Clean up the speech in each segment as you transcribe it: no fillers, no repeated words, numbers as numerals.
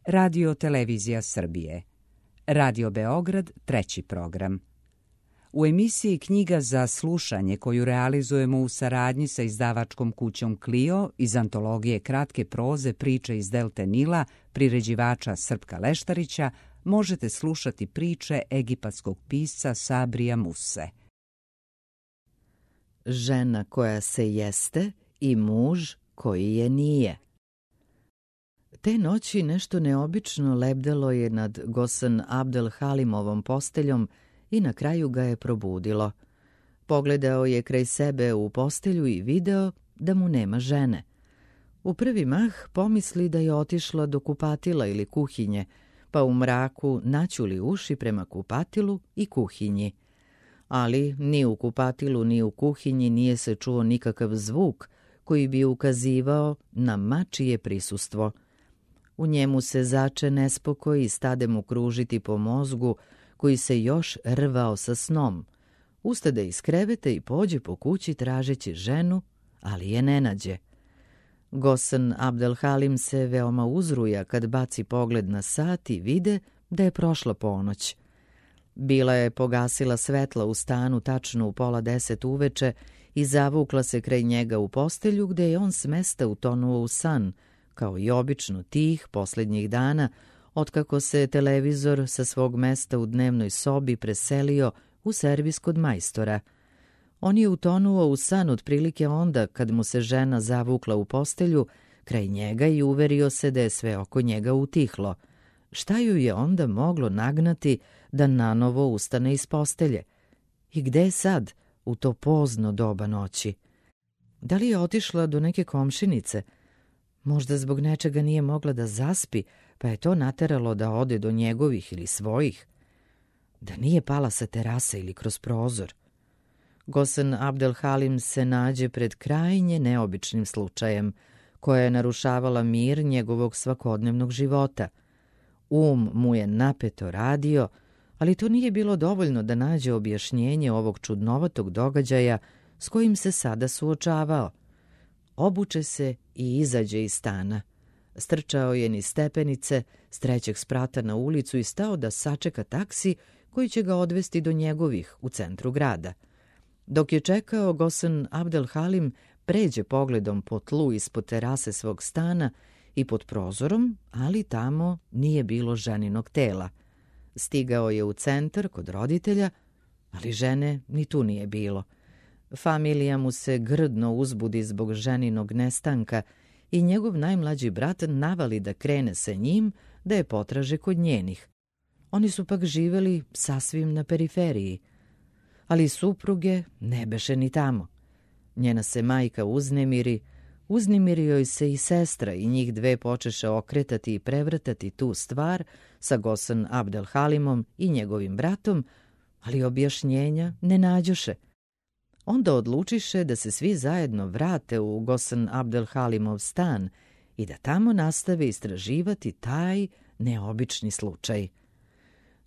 Radio Televizija Srbije. Radio Beograd, 3. program. U emisiji Knjiga za slušanje, koju realizujemo u saradnji sa izdavačkom kućom Clio iz antologije kratke proze Priče iz Delte Nila, priređivača Srpka Leštarića, možete slušati priče egipatskog pisca Sabrija Muse. Žena koja se jeste i muž koji je nije. Te noći nešto neobično lebdelo je nad Gosan Abdel Halimovom posteljom i na kraju ga je probudilo. Pogledao je kraj sebe u postelju i video da mu nema žene. U prvi mah pomisli da je otišla do kupatila ili kuhinje, pa u mraku naćuli uši prema kupatilu i kuhinji. Ali ni u kupatilu ni u kuhinji nije se čuo nikakav zvuk koji bi ukazivao na mačije prisustvo. U njemu se zače nespokoj i stade mu kružiti po mozgu koji se još rvao sa snom. Ustade iz kreveta i pođe po kući tražeći ženu, ali je ne nađe. Gosan Abdel Halim se veoma uzruja kad baci pogled na sat i vide da je prošla ponoć. Bila je pogasila svetla u stanu tačno u 9:30 uveče i zavukla se kraj njega u postelju gde je on smesta utonuo u san, kao i obično tih posljednjih dana, otkako se televizor sa svog mesta u dnevnoj sobi preselio u servis kod majstora. On je utonuo u san otprilike onda kad mu se žena zavukla u postelju kraj njega i uverio se da je sve oko njega utihlo. Šta ju je onda moglo nagnati da nanovo ustane iz postelje? I gde je sad, u to pozno doba noći? Da li je otišla do neke komšinice? Možda zbog nečega nije mogla da zaspi, pa je to nateralo da ode do njegovih ili svojih. Da nije pala sa terase ili kroz prozor. Gosan Abdel Halim se nađe pred krajnje neobičnim slučajem, koja je narušavala mir njegovog svakodnevnog života. Mu je napeto radio, ali to nije bilo dovoljno da nađe objašnjenje ovog čudnovatog događaja s kojim se sada suočavao. Obuče se i izađe iz stana. Strčao je niz stepenice, s 3. sprata na ulicu i stao da sačeka taksi koji će ga odvesti do njegovih u centru grada. Dok je čekao, Gosan Abdel Halim pređe pogledom po tlu ispod terase svog stana i pod prozorom, ali tamo nije bilo ženinog tela. Stigao je u centar kod roditelja, ali žene ni tu nije bilo. Familija mu se grdno uzbudi zbog ženinog nestanka i njegov najmlađi brat navali da krene sa njim da je potraže kod njenih. Oni su pak živeli sasvim na periferiji, ali supruge ne beše ni tamo. Njena se majka uznemirio joj se i sestra i njih dve počeše okretati i prevrtati tu stvar sa Gosan Abdel Halimom i njegovim bratom, ali objašnjenja ne nađoše. Onda odlučiše da se svi zajedno vrate u Gosan Abdel Halimov stan i da tamo nastave istraživati taj neobični slučaj.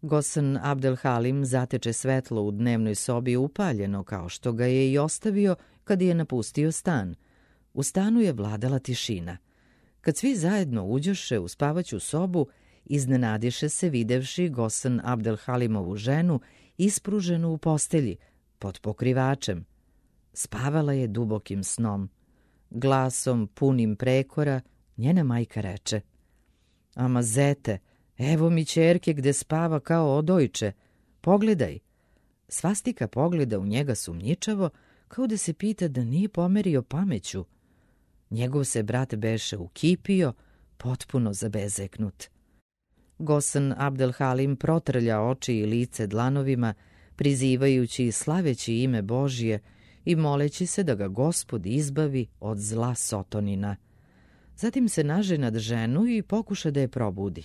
Gosan Abdel Halim zateče svetlo u dnevnoj sobi upaljeno kao što ga je i ostavio kad je napustio stan. U stanu je vladala tišina. Kad svi zajedno uđoše u spavaću sobu, iznenadiše se videvši Gosan Abdel Halimovu ženu ispruženu u postelji, pod pokrivačem. Spavala je dubokim snom. Glasom punim prekora njena majka reče: "Ama zete, evo mi ćerke gde spava kao odojče. Pogledaj." Svastika pogleda u njega sumnjičavo, kao da se pita da nije pomerio pameću. Njegov se brat beše ukipio, potpuno zabezeknut. Gosan Abdel Halim protrlja oči i lice dlanovima, prizivajući i slaveći ime Božje i moleći se da ga Gospod izbavi od zla Sotonina. Zatim se naže nad ženu i pokuša da je probudi.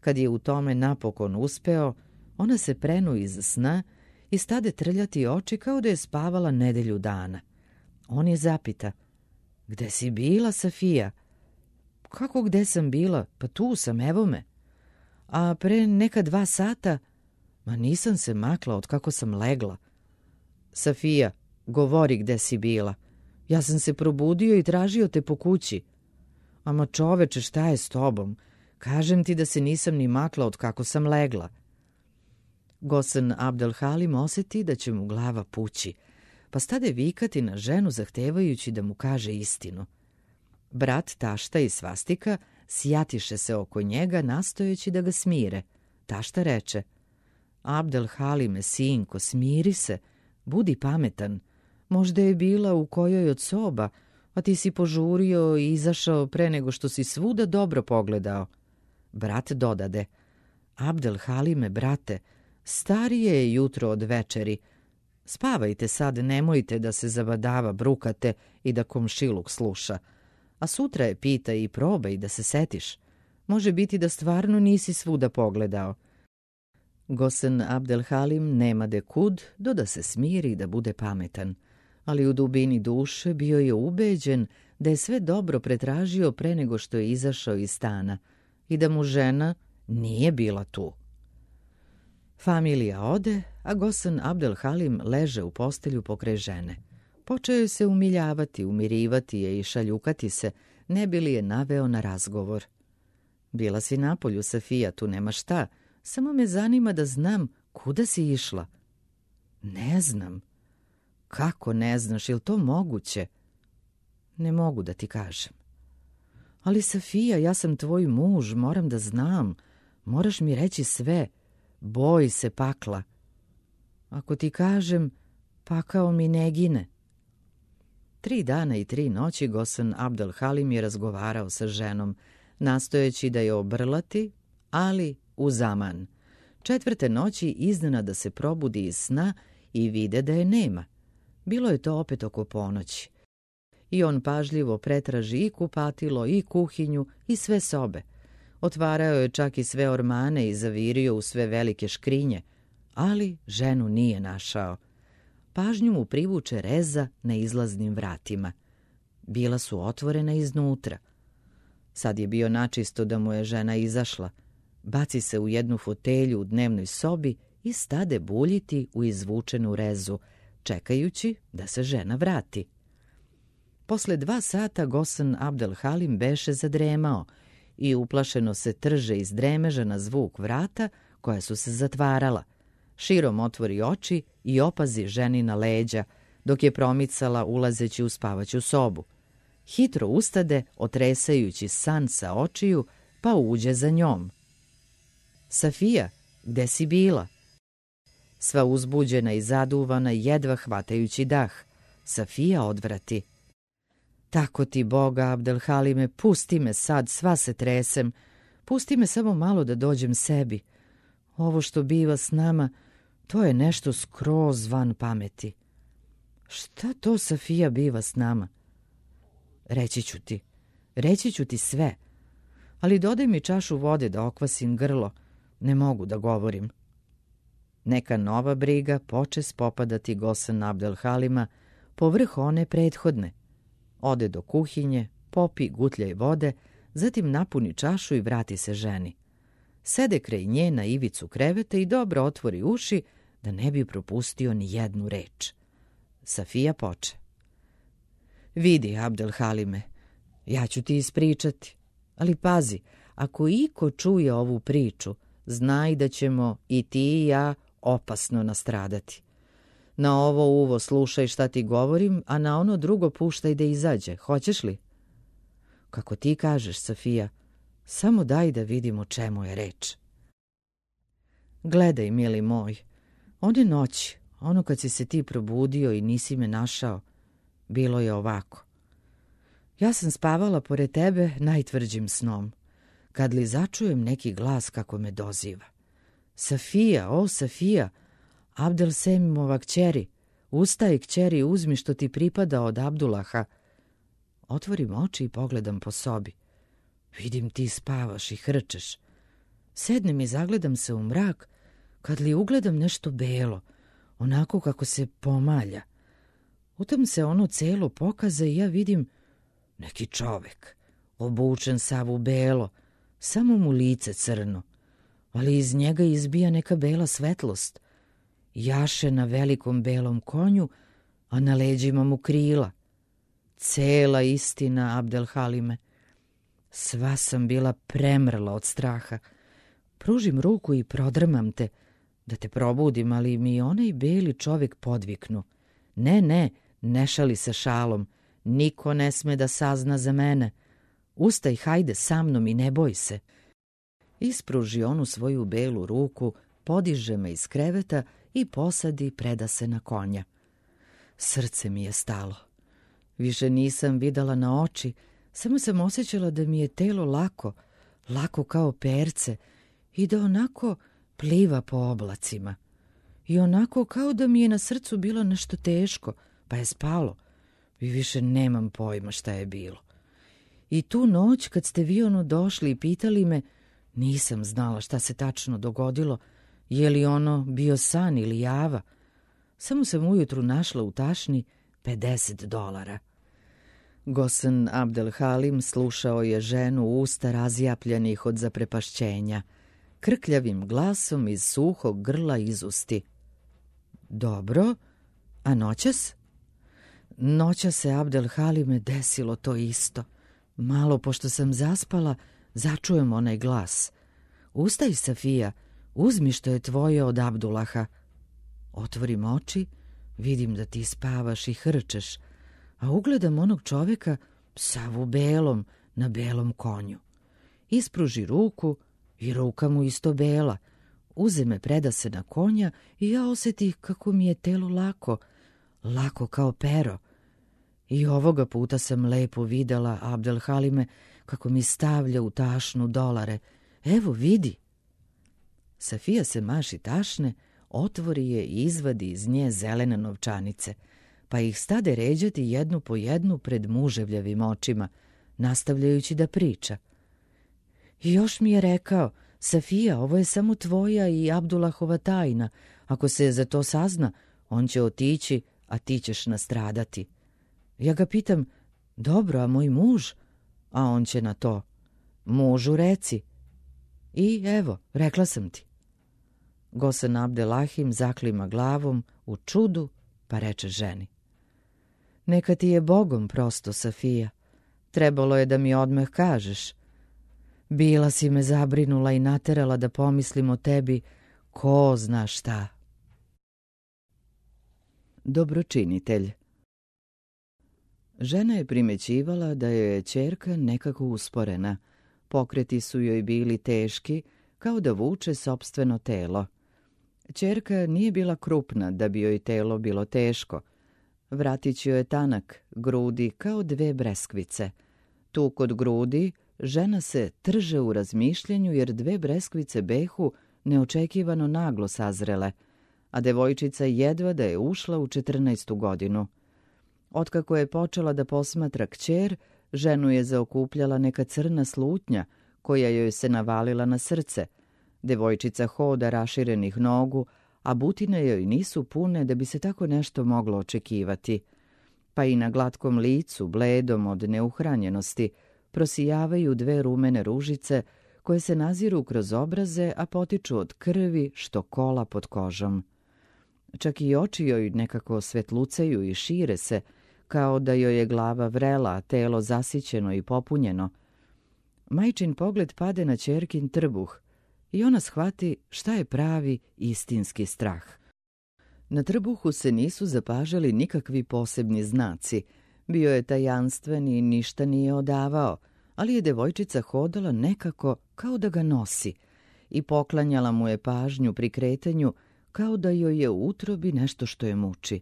Kad je u tome napokon uspeo, ona se prenu iz sna i stade trljati oči kao da je spavala nedelju dana. On je zapita: "Gde si bila, Safija?" "Kako gde sam bila? Pa tu sam, evo me." "A pre neka 2 sata?" "Ma nisam se makla od kako sam legla." "Safija, govori gde si bila. Ja sam se probudio i tražio te po kući." "Ama čoveče, šta je s tobom? Kažem ti da se nisam ni makla od kako sam legla. Gosen Abdel Halim osjeti da će mu glava pući, pa stade vikati na ženu zahtevajući da mu kaže istinu. Brat, tašta i svastika sjatiše se oko njega nastojeći da ga smire. Tašta reče: Abdel Halime, sinko, smiri se, budi pametan. Možda je bila u kojoj od soba, a ti si požurio i izašao pre nego što si svuda dobro pogledao. Brat dodade: Abdel Halime, brate, starije je jutro od večeri. Spavajte sad, nemojte da se zabadava brukate i da komšiluk sluša. A sutra je pitaj i probaj da se setiš. Može biti da stvarno nisi svuda pogledao. Gosen Abdel Halim nema de kud do da se smiri i da bude pametan, ali u dubini duše bio je ubeđen da je sve dobro pretražio pre nego što je izašao iz stana i da mu žena nije bila tu. Familija ode, a Gosen Abdel Halim leže u postelju pokraj žene. Počeo je se umiljavati, umirivati je i šaljukati se, ne bi li je naveo na razgovor. Bila si napolju, Safija, tu nema šta, samo me zanima da znam kuda si išla. Ne znam. Kako ne znaš, je li to moguće? Ne mogu da ti kažem. Ali Safija, ja sam tvoj muž, moram da znam. Moraš mi reći sve. Boj se pakla. Ako ti kažem, pakao mi ne gine. 3 dana i 3 noći Gosen Abdel Halim je razgovarao sa ženom, nastojeći da je obrlati, ali u zaman. 4. noći iznenada se probudi iz sna i vide da je nema. Bilo je to opet oko ponoći. I on pažljivo pretraži i kupatilo, i kuhinju, i sve sobe. Otvarao je čak i sve ormane i zavirio u sve velike škrinje, ali ženu nije našao. Pažnju mu privuče reza na izlaznim vratima. Bila su otvorena iznutra. Sad je bio načisto da mu je žena izašla. Baci se u jednu fotelju u dnevnoj sobi i stade buljiti u izvučenu rezu, čekajući da se žena vrati. Posle 2 sata Gosen Abdel Halim beše zadremao i uplašeno se trže iz dremeža na zvuk vrata koja su se zatvarala. Širom otvori oči i opazi ženina leđa, dok je promicala ulazeći u spavaću sobu. Hitro ustade, otresajući san sa očiju, pa uđe za njom. Safija, gde si bila? Sva uzbuđena i zaduvana, jedva hvatajući dah. Safija odvrati. Tako ti Boga, Abdel Halime, pusti me sad, sva se tresem. Pusti me samo malo da dođem sebi. Ovo što biva s nama, to je nešto skroz van pameti. Šta to, Safija, biva s nama? Reći ću ti sve. Ali dodaj mi čašu vode da okvasim grlo. Ne mogu da govorim. Neka nova briga poče spopadati Gosen Abdel Halima povrh one prethodne. Ode do kuhinje, popi gutljaj vode, zatim napuni čašu i vrati se ženi. Sede kraj nje na ivicu kreveta i dobro otvori uši da ne bi propustio ni jednu reč. Safija poče. Vidi, Abdel Halime, ja ću ti ispričati, ali pazi, ako iko čuje ovu priču, znaj da ćemo i ti i ja opasno nastradati. Na ovo uvo slušaj šta ti govorim, a na ono drugo puštaj da izađe. Hoćeš li? Kako ti kažeš, Safija, samo daj da vidimo o čemu je reč. Gledaj, mili moj, one noći, ono kad si se ti probudio i nisi me našao, bilo je ovako. Ja sam spavala pored tebe najtvrđim snom, kad li začujem neki glas kako me doziva. Safija, o Safija, Abdel Semimova kćeri, ustaj kćeri, uzmi što ti pripada od Abdulaha. Otvorim oči i pogledam po sobi. Vidim ti spavaš i hrčeš. Sednem i zagledam se u mrak, kad li ugledam nešto belo, onako kako se pomalja. U tom se ono celo pokaza i ja vidim neki čovek, obučen sav u belo, samo mu lice crno, ali iz njega izbija neka bela svetlost. Jaše na velikom belom konju, a na leđima mu krila. Cela istina, Abdel Halime. Sva sam bila premrla od straha. Pružim ruku i prodrmam te, da te probudim, ali mi onaj beli čovjek podviknu. Ne, ne šali se šalom. Niko ne sme da sazna za mene. Ustaj, hajde sa mnom i ne boj se. Ispruži onu svoju belu ruku, podiže me iz kreveta i posadi, preda se na konja. Srce mi je stalo. Više nisam videla na oči, samo sam osjećala da mi je telo lako kao perce i da onako pliva po oblacima. I onako kao da mi je na srcu bilo nešto teško, pa je spalo. I više nemam pojma šta je bilo. I tu noć kad ste vi došli i pitali me, nisam znala šta se tačno dogodilo, je li ono bio san ili java. Samo sam ujutru našla u tašni $50. Gosen Abdel Halim slušao je ženu usta razjapljenih od zaprepašćenja, krkljavim glasom iz suhog grla izusti. Dobro, a noćas? Noćas se, Abdel Halime, desilo to isto. Malo pošto sam zaspala, začujem onaj glas. Ustaj, Safija, uzmi što je tvoje od Abdulaha. Otvorim oči, vidim da ti spavaš i hrčeš, a ugledam onog čovjeka sav u belom, na belom konju. Ispruži ruku i ruka mu isto bela. Uze me, preda se na konja i ja osjetih kako mi je telo lako kao pero. I ovoga puta sam lepo videla, Abdel Halime, kako mi stavlja u tašnu $. Evo, vidi. Safija se maši tašne, otvori je i izvadi iz nje zelene novčanice, pa ih stade ređati jednu po jednu pred muževljavim očima, nastavljajući da priča. I još mi je rekao, Safija, ovo je samo tvoja i Abdulahova tajna. Ako se za to sazna, on će otići, a ti ćeš nastradati. Ja ga pitam, dobro, a moj muž? A on će na to, mužu reci. I evo, rekla sam ti. Gosen Abdelahim zaklima glavom u čudu, pa reče ženi. Neka ti je Bogom prosto, Safija. Trebalo je da mi odmah kažeš. Bila si me zabrinula i naterala da pomislim o tebi ko zna šta. Dobročinitelj. Žena je primećivala da joj je ćerka nekako usporena. Pokreti su joj bili teški, kao da vuče sopstveno telo. Ćerka nije bila krupna da bi joj telo bilo teško. Vratić joj je tanak, grudi kao 2 breskvice. Tu kod grudi žena se trže u razmišljanju jer 2 breskvice behu neočekivano naglo sazrele, a devojčica jedva da je ušla u 14. godinu. Otkako je počela da posmatra kćer, ženu je zaokupljala neka crna slutnja koja joj se navalila na srce. Devojčica hoda raširenih nogu, a butine joj nisu pune da bi se tako nešto moglo očekivati. Pa i na glatkom licu, bledom od neuhranjenosti, prosijavaju 2 rumene ružice koje se naziru kroz obraze, a potiču od krvi što kola pod kožom. Čak i oči joj nekako svetlucaju i šire se, kao da joj je glava vrela, a telo zasićeno i popunjeno. Majčin pogled pade na ćerkin trbuh i ona shvati šta je pravi istinski strah. Na trbuhu se nisu zapažali nikakvi posebni znaci. Bio je tajanstven i ništa nije odavao, ali je devojčica hodala nekako kao da ga nosi i poklanjala mu je pažnju pri kretanju kao da joj je u utrobi nešto što je muči.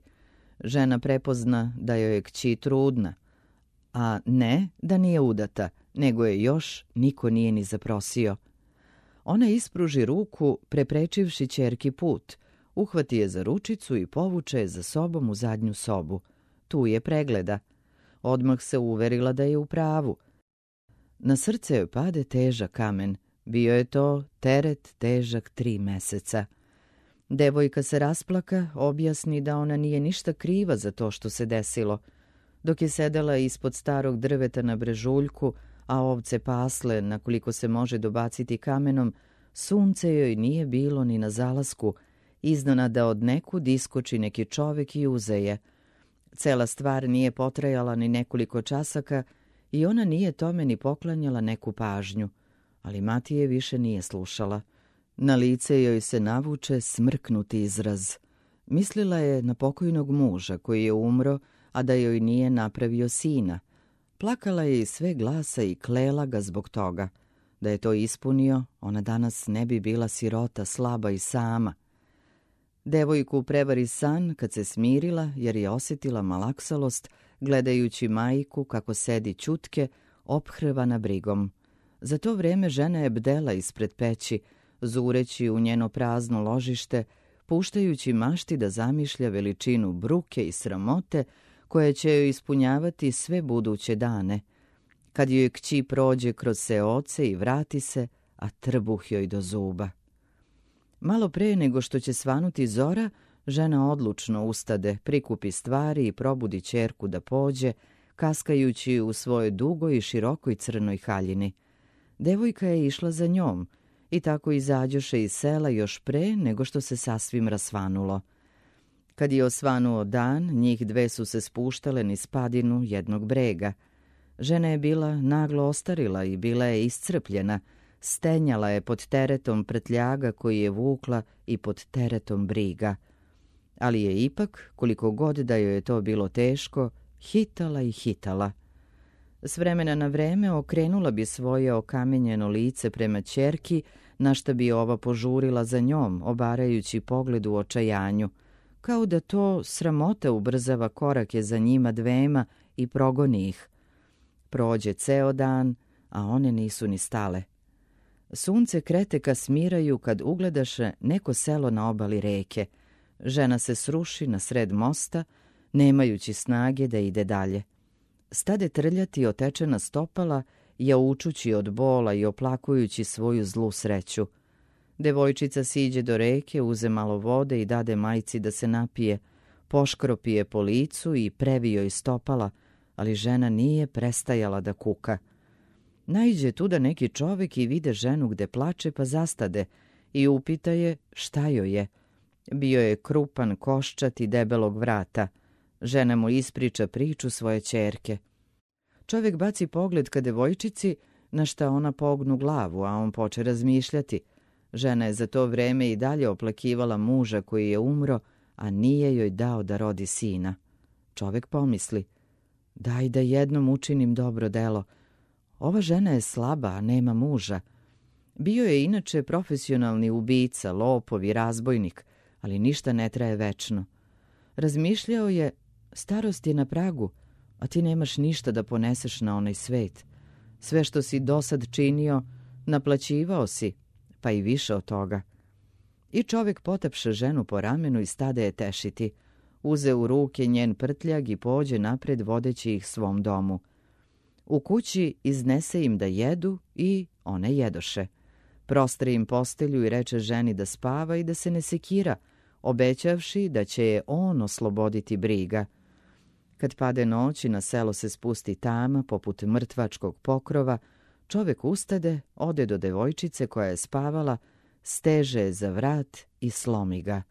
Žena prepozna da joj je kći trudna, a ne da nije udata, nego je još niko nije ni zaprosio. Ona ispruži ruku, preprečivši ćerki put, uhvati je za ručicu i povuče je za sobom u zadnju sobu. Tu je pregleda. Odmah se uverila da je u pravu. Na srce joj pade težak kamen. Bio je to teret težak 3 meseca. Devojka se rasplaka, objasni da ona nije ništa kriva za to što se desilo. Dok je sedela ispod starog drveta na brežuljku, a ovce pasle na koliko se može dobaciti kamenom, sunce joj nije bilo ni na zalasku, iznenada od nekud iskoči neki čovek i uze je. Cela stvar nije potrajala ni nekoliko časaka i ona nije tome ni poklanjala neku pažnju, ali Matije više nije slušala. Na lice joj se navuče smrknuti izraz. Mislila je na pokojnog muža koji je umro, a da joj nije napravio sina. Plakala je iz sve glasa i klela ga zbog toga. Da je to ispunio, ona danas ne bi bila sirota, slaba i sama. Devojku prevari san kad se smirila jer je osjetila malaksalost gledajući majku kako sedi ćutke, ophrvana brigom. Za to vrijeme žena je bdela ispred peći, zureći u njeno prazno ložište, puštajući mašti da zamišlja veličinu bruke i sramote koje će joj ispunjavati sve buduće dane. Kad joj kći prođe kroz seoce i vrati se, a trbuh joj do zuba. Malo pre nego što će svanuti zora, žena odlučno ustade, prikupi stvari i probudi ćerku da pođe, kaskajući u svojoj dugoj i širokoj crnoj haljini. Devojka je išla za njom i tako izađoše iz sela još pre nego što se sasvim rasvanulo. Kad je osvanuo dan, njih dve su se spuštale niz padinu jednog brega. Žena je bila naglo ostarila i bila je iscrpljena, stenjala je pod teretom prtljaga koji je vukla i pod teretom briga. Ali je ipak, koliko god da joj je to bilo teško, hitala i hitala. S vremena na vreme okrenula bi svoje okamenjeno lice prema ćerki, na šta bi ova požurila za njom, obarajući pogled u očajanju, kao da to sramota ubrzava korake za njima dvema i progoni ih. Prođe ceo dan, a one nisu ni stale. Sunce krete ka smiraju kad ugledaše neko selo na obali reke. Žena se sruši na sred mosta, nemajući snage da ide dalje. Stade trljati otečena stopala, jaučući od bola i oplakujući svoju zlu sreću. Devojčica siđe do reke, uze malo vode i dade majci da se napije, poškropi je po licu i previ joj stopala, ali žena nije prestajala da kuka. Naiđe tuda neki čovek i vide ženu gde plače, pa zastade i upita je šta joj je. Bio je krupan, koščat i debelog vrata. Žena mu ispriča priču svoje ćerke. Čovek baci pogled ka devojčici, na šta ona pognu glavu, a on poče razmišljati. Žena je za to vreme i dalje oplakivala muža koji je umro, a nije joj dao da rodi sina. Čovek pomisli, daj da jednom učinim dobro delo. Ova žena je slaba, a nema muža. Bio je inače profesionalni ubica, lopov i razbojnik, ali ništa ne traje večno. Razmišljao je, starost je na pragu, a ti nemaš ništa da poneseš na onaj svet. Sve što si dosad činio, naplaćivao si, pa i više od toga. I čovjek potapše ženu po ramenu i stade je tešiti. Uze u ruke njen prtljag i pođe napred vodeći ih svom domu. U kući iznese im da jedu i one jedoše. Prostre im postelju i reče ženi da spava i da se ne sekira, obećavši da će je on osloboditi briga. Kad pade noć i na selo se spusti tama poput mrtvačkog pokrova, čovjek ustade, ode do devojčice koja je spavala, steže je za vrat i slomi ga.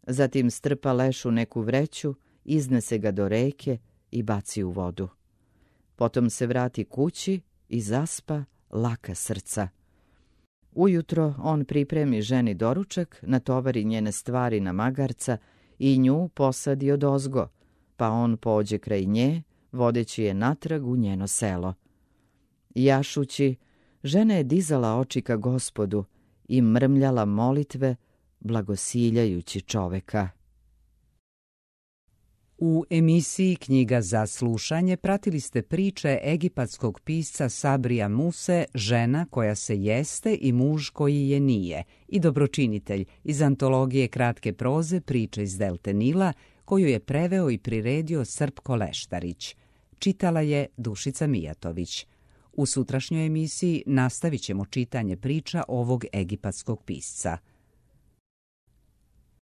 Zatim strpa leš u neku vreću, iznese ga do reke i baci u vodu. Potom se vrati kući i zaspa laka srca. Ujutro on pripremi ženi doručak, natovari njene stvari na magarca i nju posadi odozgo, pa on pođe kraj nje, vodeći je natrag u njeno selo. Jašući, žena je dizala oči ka Gospodu i mrmljala molitve, blagosiljajući čoveka. U emisiji Knjiga za slušanje pratili ste priče egipatskog pisca Sabrija Muse, Žena koja se jeste i muž koji je nije, i Dobročinitelj iz antologije kratke proze Priče iz Delte Nila, koju je preveo i priredio Srpko Leštarić. Čitala je Dušica Mijatović. U sutrašnjoj emisiji nastavit ćemo čitanje priča ovog egipatskog pisca.